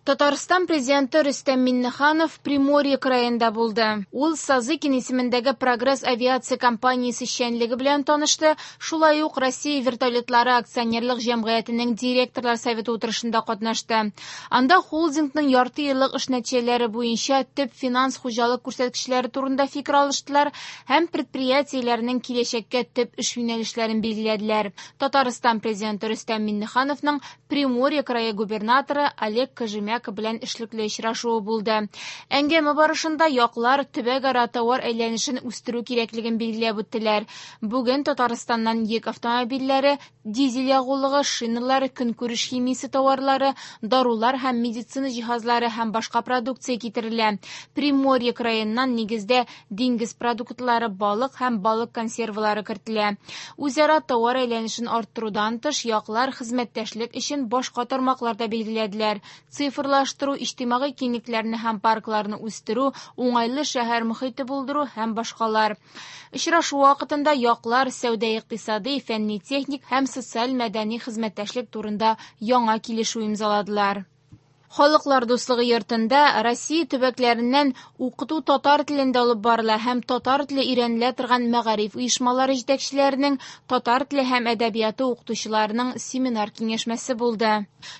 Татарстан Президенты Рөстәм Миңнеханов Приморье краенда булды. Ул Сазыкин исемендәге Прогресс авиация компаниясе эшчәнлеге белән танышты, шулай ук Россия вертолетлары акционерлык җәмгыятенең директорлар советы утырышында катнашты. Анда холдингның ярты еллык эш нәтиҗәләре буенча төп финанс-хуҗалык күрсәткечләре турында фикер алыштылар һәм предприятиеләрнең киләчәккә төп эш юнәлешләрен билгеләделәр. Татарстан Президенты Рөстәм Миңнехановның Приморье крае губернаторы Олег Кожемяко белән эшлекле очрашуы булды. Әңгәмә барышында яклар төбәкара товар әйләнешен үстерү кирәклеген билгеләп үттеләр. Бүген Татарстаннан йөк автомобильләре, дизель ягулыгы, шиналар, көнкүреш химиясе товарлары, дарулар һәм медицина җиһазлары һәм башка продукция китерелә. Приморье краеннан нигездә диңгез продуктлары, балык һәм балык консервалары кертелә. Үзара товар әйләнешен арттырудан тыш, яклар хезмәттәшлек өчен башка тармаклар да билгеләделәр. Цифрлаштыру, иҗтимагый киңлекләрне һәм паркларны үстерү, уңайлы шәһәр мохите булдыру һәм башкалар. Очрашу вакытында яклар сәүдә-икътисади, фәнни-техник һәм социаль-мәдәни хезмәттәшлек турында яңа килешү имзаладылар. Халыклар дуслыгы йортында Россия төбәкләреннән укыту татар телендә алып барыла һәм татар теле өйрәнелә торган мәгариф оешмалары җитәкчеләренең татар теле һәм әдәбияты укытучыларының семинар киңәшмәсе булды.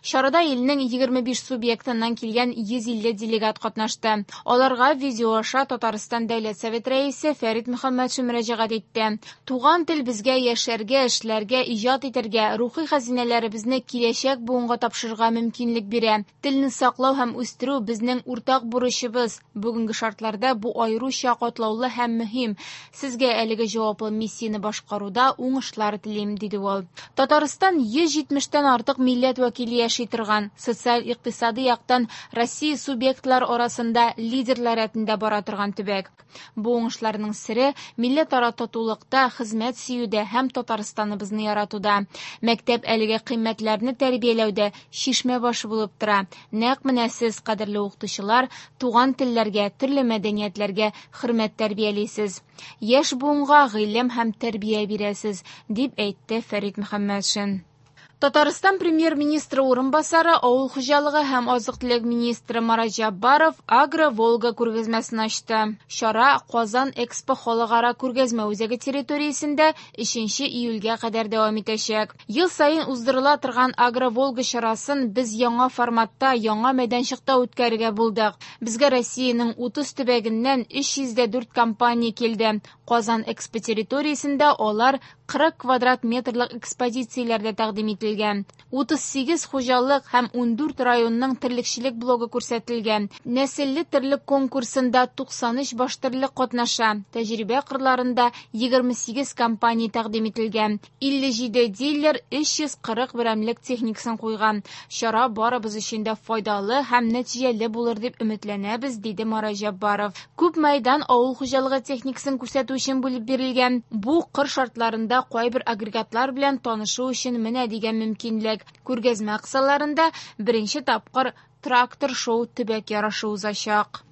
Чарада илнең 25 субъектыннан килгән 150 делегат катнашты. Аларга видео аша Татарстан Дәүләт Совет рәисе Фәрит Мөхәммәтшин мөрәҗәгать итте. Туган тел безгә яшәргә, эшләргә, иҗат итәргә, рухи хәзинәләребезне киләчәк буынга тапшырырга мөмкинлек бирә. Телне саклау һәм үстерү безнең уртак бурычыбыз. Бүгенге шартларда бу аеруча катлаулы һәм мөһим. Сезгә әлеге җаваплы миссияне башкаруда уңышлар телим, диде ул. Татарстан 170тән артык милләт вәкиле яши торган, социаль-икътисади яктан Россия субъектлары арасында лидерлар рәтендә бара торган төбәк. Бу уңышларның сере милләтара татулыкта, хезмәт сөюдә һәм Татарстаныбызны яратуда. Мәктәп әлеге кыйммәтләрне тәрбияләүдә чишмә башы булып тора. Нәкъ менә сез, кадерле укытучылар, туган телләргә, төрле мәдәниятләргә хөрмәт тәрбиялисез. Яшь буынга гыйлем һәм тәрбия бирәсез, дип әйтте Фәрит Мөхәммәтшин. Татарстан премьер-министры урынбасары, авыл хуҗалыгы һәм азык-төлек министры Марат Җаббаров Агро-Волга күргәзмәсен ачты. Чара Казан Экспо халыкара күргәзмә үзәге территориясендә 3 июльгә кадәр дәвам итәчәк. Ел саен уздырыла торган Агро-Волга чарасын без яңа форматта, яңа мәйданчыкта үткәрергә булдык. Безгә Россиянең 30 төбәгеннән 304 компания килде. Казан Экспо территориясендә алар 40 квадрат метрлык экспозицияләрдә тәкъдим ителгән. 38 хуҗалык һәм 14 районның терлекчелек блогы күрсәтелгән. Нәселле терлек конкурсында 93 баш терлек катнаша. Тәҗрибә кырларында 28 компания тәкъдим ителгән. 57 дилер 340 берәмлек техникасын куйган. Чара барыбыз өчен дә файдалы һәм нәтиҗәле булыр дип өметләнәбез, диде Марат Җаббаров. Күп мәйдан авыл хуҗалыгы техникасын күрсәтү өчен бүлеп бирелгән. Бу кыр шартларында кайбер агрегатлар белән танышу өчен менә дигән мөмкинлек. Күргәзмә кысаларында беренче тапкыр трактор-шоу төбәк ярышы узачак.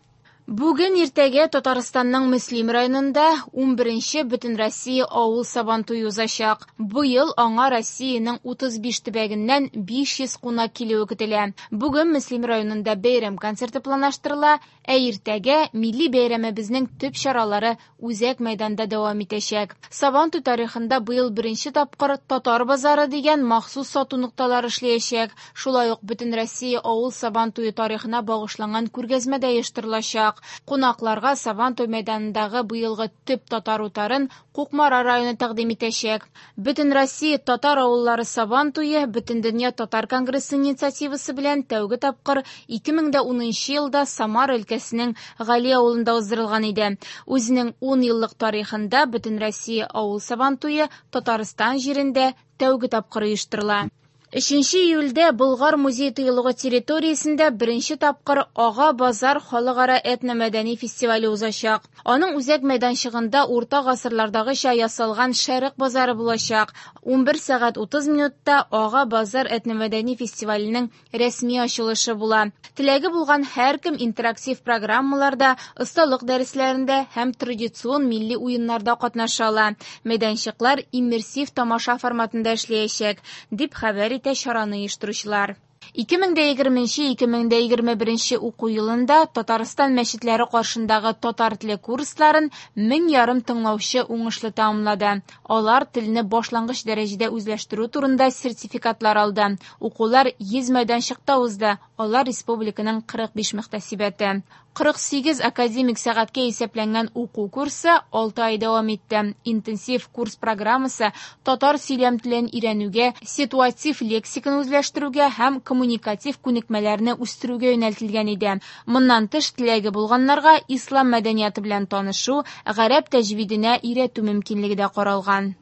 Бүген иртәгә Татарстанның Мөслим районында 11нче Бөтенроссия авыл сабантуе узачак. Быел аңа Россиянең 35 төбәгеннән 500 кунак килүе көтелә. Бүген Мөслим районында бәйрәм концерты планлаштырыла, ә иртәгә милли бәйрәмебезнең төп чаралары үзәк мәйданда дәвам итәчәк. Сабантуй тарихында быел беренче тапкыр Татар базары дигән махсус сату нокталары эшләячәк. Шулай ук Бөтенроссия авыл сабантуе тарихына багышланган күргәзмә дә оештырылачак. Кунакларга Сабантуй мәйданындагы быелгы төп татар утарын Кукмара районы тәкъдим итәчәк. Бөтенроссия татар авыллары Сабантуе Бөтендөнья татар конгрессы инициативасы белән тәүге тапкыр 2010 елда Самара өлкәсенең Гали авылында уздырылган иде. Үзенең 10 еллык тарихында Бөтенроссия авыл Сабантуе Татарстан җирендә тәүге тапкыр оештырыла. 3 июльдә Болгар музей тыюлыгы территориясендә беренче тапкыр Ага базар халыкара этномәдәни фестивале узачак. Аның үзәк мәйданчыгында урта гасырлардагыча ясалган Шәрык базары булачак. 11 сәгать 30 минутта Ага базар этномәдәни фестиваленең рәсми ачылышы була. Теләге булган һәркем интерактив программаларда, осталык дәресләрендә һәм традицион милли уеннарда катнаша ала. Мәйданчыклар иммерсив тамаша форматында эшләячәк, дип хәбәр итә чараны оештыручылар. 2020-2021 уку елында Татарстан мәчетләре каршындагы татар теле курсларын 1500 тыңлаучы уңышлы тәмамлады. Алар телне башлангыч дәрәҗәдә үзләштерү турында сертификатлар алды. Укулар 100 мәйданчыкта узды, алар республиканың 45 мөхтәсибәте. 48 академик сәгатькә исәпләнгән уку курсы 6 ай дәвам итте. Интенсив курс программасы татар сөйләм телен өйрәнүгә, ситуатив лексиканы үзләштерүгә һәм коммуникатив күнекмәләрне үстерүгә юнәлтелгән иде. Моннан тыш, теләге булганнарга ислам мәдәнияты белән танышу, гарәп тәҗвиденә өйрәтү мөмкинлеге дә каралган.